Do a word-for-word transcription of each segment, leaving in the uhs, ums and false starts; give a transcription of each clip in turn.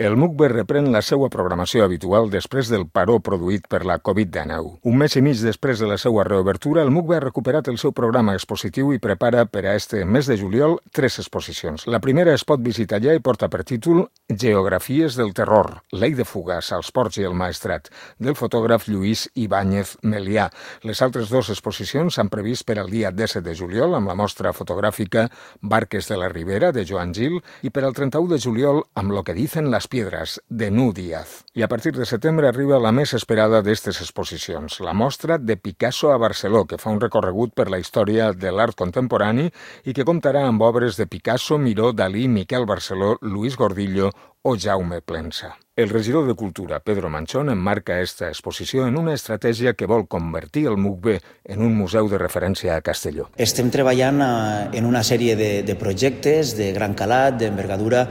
El M U C B reprèn la seva programació habitual després del paró produït per la covid dinou. Un mes i mig després de la seva reobertura, el M U C B ha recuperat el seu programa expositiu i prepara per a este mes de juliol tres exposicions. La primera es pot visitar ja i porta per títol Geografies del terror, l'Ei de Fugas, als Ports i el Maestrat, del fotògraf Lluís Ibáñez Melià. Les altres dues exposicions s'han previst per al dia disset de juliol amb la mostra fotogràfica Barques de la Ribera, de Joan Gil, i per al trenta-u de juliol amb Lo que dicen las piedras, de Nu Díaz. I a partir de setembre arriba la més esperada d'estes exposicions, la mostra de Picasso a Barceló, que fa un recorregut per la història de l'art contemporani i que comptarà amb obres de Picasso, Miró, Dalí, Miquel Barceló, Luis Gordillo o Jaume Plensa. El regidor de Cultura, Pedro Manchón, emmarca esta exposició en una estratègia que vol convertir el M U C B en un museu de referència a Castelló. Estem treballant en una sèrie de, de projectes de gran calat, d'envergadura,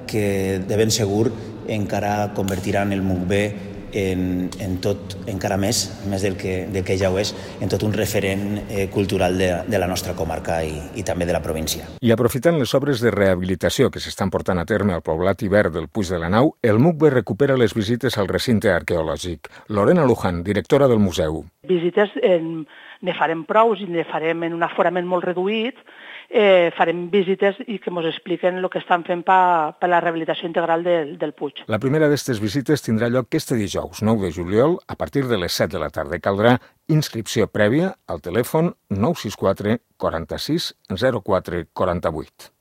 que de ben segur encara convertiran el M U C B en, en tot, encara més, més del que, del que ja ho és, en tot un referent eh, cultural de, de la nostra comarca i, i també de la província. I aprofitant les obres de rehabilitació que s'estan portant a terme al poblat ibert del Puig de la Nau, el M U C B recupera les visites al recinte arqueològic. Lorena Luján, directora del museu. Visites en, ne farem prous i ne farem en un aforament molt reduït. Eh, farem visites i que ens expliquen el que estan fent per pa la rehabilitació integral del, del Puig. La primera d'aquestes visites tindrà lloc este dijous, nou de juliol, a partir de les set de la tarda. Caldrà inscripció prèvia al telèfon nou sis quatre quaranta-sis zero quatre quaranta-vuit.